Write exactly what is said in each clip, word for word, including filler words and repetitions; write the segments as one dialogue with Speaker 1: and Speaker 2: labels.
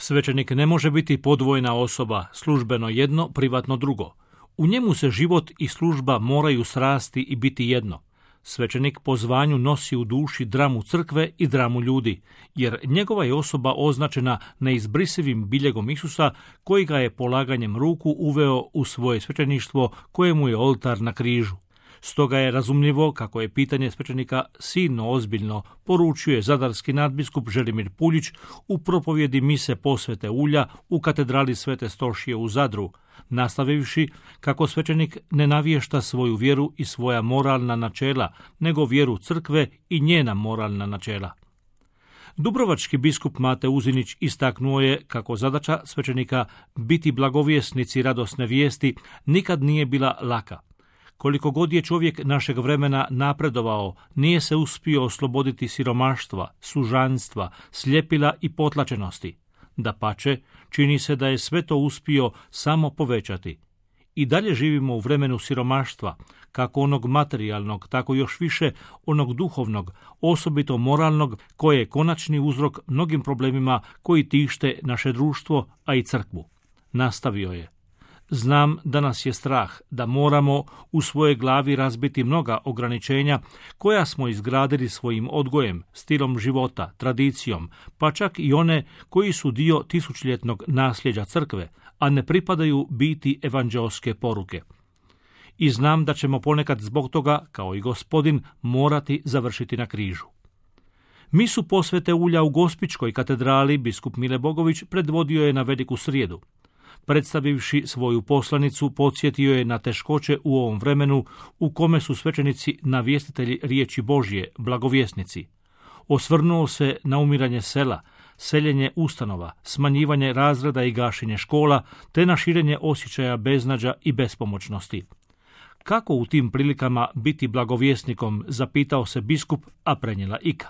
Speaker 1: Svećenik ne može biti podvojna osoba, službeno jedno, privatno drugo. U njemu se život i služba moraju srasti i biti jedno. Svećenik po zvanju nosi u duši dramu crkve i dramu ljudi, jer njegova je osoba označena neizbrisivim biljegom Isusa, koji ga je polaganjem ruku uveo u svoje svećeništvo, kojemu je oltar na križu. Stoga je razumljivo kako je pitanje svećenika silno ozbiljno, poručuje zadarski nadbiskup Želimir Puljić u propovjedi mise posvete ulja u katedrali Svete Stošije u Zadru, nastavivši kako svećenik ne navješta svoju vjeru i svoja moralna načela, nego vjeru crkve i njena moralna načela. Dubrovački biskup Mate Uzinić istaknuo je kako zadaća svećenika biti blagovjesnici radosne vijesti nikad nije bila laka. Koliko god je čovjek našeg vremena napredovao, nije se uspio osloboditi siromaštva, sužanstva, sljepila i potlačenosti. Dapače, čini se da je sve to uspio samo povećati. I dalje živimo u vremenu siromaštva, kako onog materijalnog, tako još više onog duhovnog, osobito moralnog, koje je konačni uzrok mnogim problemima koji tište naše društvo, a i crkvu. Nastavio je. Znam da nas je strah, da moramo u svojoj glavi razbiti mnoga ograničenja koja smo izgradili svojim odgojem, stilom života, tradicijom, pa čak i one koji su dio tisućljetnog nasljeđa crkve, a ne pripadaju biti evanđeoske poruke. I znam da ćemo ponekad zbog toga, kao i Gospodin, morati završiti na križu. Misu posvete ulja u Gospićkoj katedrali biskup Mile Bogović predvodio je na Veliku srijedu. Predstavivši svoju poslanicu, podsjetio je na teškoće u ovom vremenu u kome su svećenici navjestitelji riječi Božje, blagovjesnici. Osvrnuo se na umiranje sela, seljenje ustanova, smanjivanje razreda i gašenje škola, te na širenje osjećaja beznađa i bespomoćnosti. Kako u tim prilikama biti blagovjesnikom, zapitao se biskup, a prenijela Ika.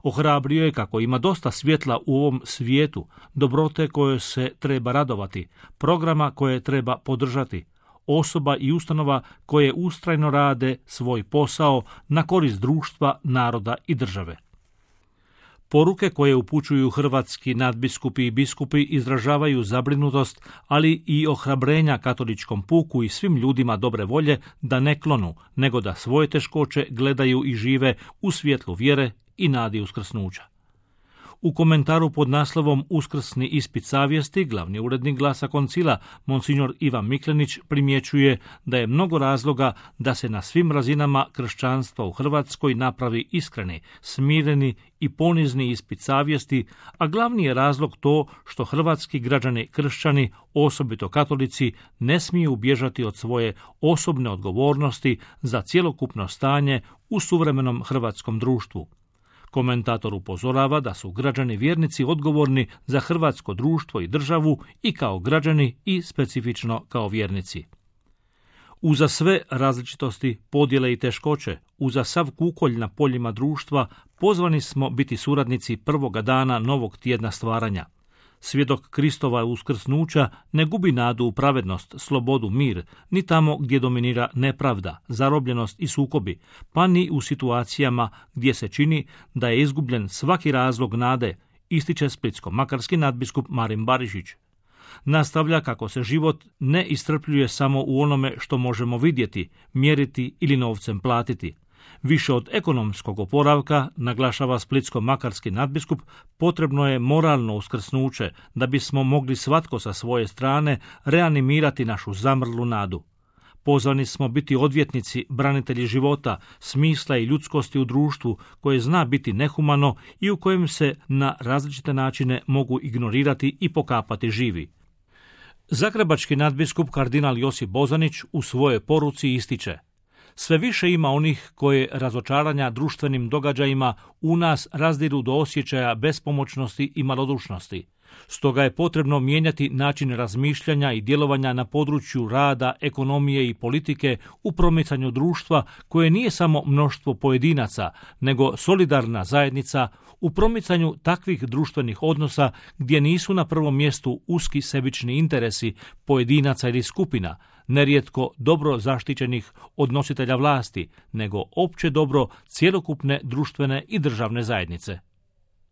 Speaker 1: Ohrabrio je kako ima dosta svjetla u ovom svijetu, dobrote koje se treba radovati, programa koje treba podržati, osoba i ustanova koje ustrajno rade svoj posao na korist društva, naroda i države. Poruke koje upućuju hrvatski nadbiskupi i biskupi izražavaju zabrinutost, ali i ohrabrenja katoličkom puku i svim ljudima dobre volje da ne klonu, nego da svoje teškoće gledaju i žive u svjetlu vjere i nadi uskrsnuća. U komentaru pod naslovom Uskrsni ispit savjesti, glavni urednik Glasa Koncila, monsignor Ivan Miklenić, primjećuje da je mnogo razloga da se na svim razinama kršćanstva u Hrvatskoj napravi iskreni, smireni i ponizni ispit savjesti, a glavni je razlog to što hrvatski građani kršćani, osobito katolici, ne smiju bježati od svoje osobne odgovornosti za cjelokupno stanje u suvremenom hrvatskom društvu. Komentator upozorava da su građani vjernici odgovorni za hrvatsko društvo i državu i kao građani i specifično kao vjernici. Uza sve različitosti, podjele i teškoće, uza sav kukolj na poljima društva, pozvani smo biti suradnici prvoga dana novog tjedna stvaranja. Svjedok Kristova uskrsnuća ne gubi nadu u pravednost, slobodu, mir, ni tamo gdje dominira nepravda, zarobljenost i sukobi, pa ni u situacijama gdje se čini da je izgubljen svaki razlog nade, ističe splitsko-makarski nadbiskup Marin Barišić. Nastavlja kako se život ne iscrpljuje samo u onome što možemo vidjeti, mjeriti ili novcem platiti. Više od ekonomskog oporavka, naglašava splitsko-makarski nadbiskup, potrebno je moralno uskrsnuće da bismo mogli svatko sa svoje strane reanimirati našu zamrlu nadu. Pozvani smo biti odvjetnici, branitelji života, smisla i ljudskosti u društvu koje zna biti nehumano i u kojem se na različite načine mogu ignorirati i pokapati živi. Zagrebački nadbiskup kardinal Josip Bozanić u svojoj poruci ističe: sve više ima onih koje razočaranja društvenim događajima u nas razdiru do osjećaja bespomoćnosti i malodušnosti. Stoga je potrebno mijenjati način razmišljanja i djelovanja na području rada, ekonomije i politike u promicanju društva koje nije samo mnoštvo pojedinaca, nego solidarna zajednica, u promicanju takvih društvenih odnosa gdje nisu na prvom mjestu uski sebični interesi pojedinaca ili skupina, nerijetko dobro zaštićenih od nositelja vlasti, nego opće dobro cjelokupne društvene i državne zajednice.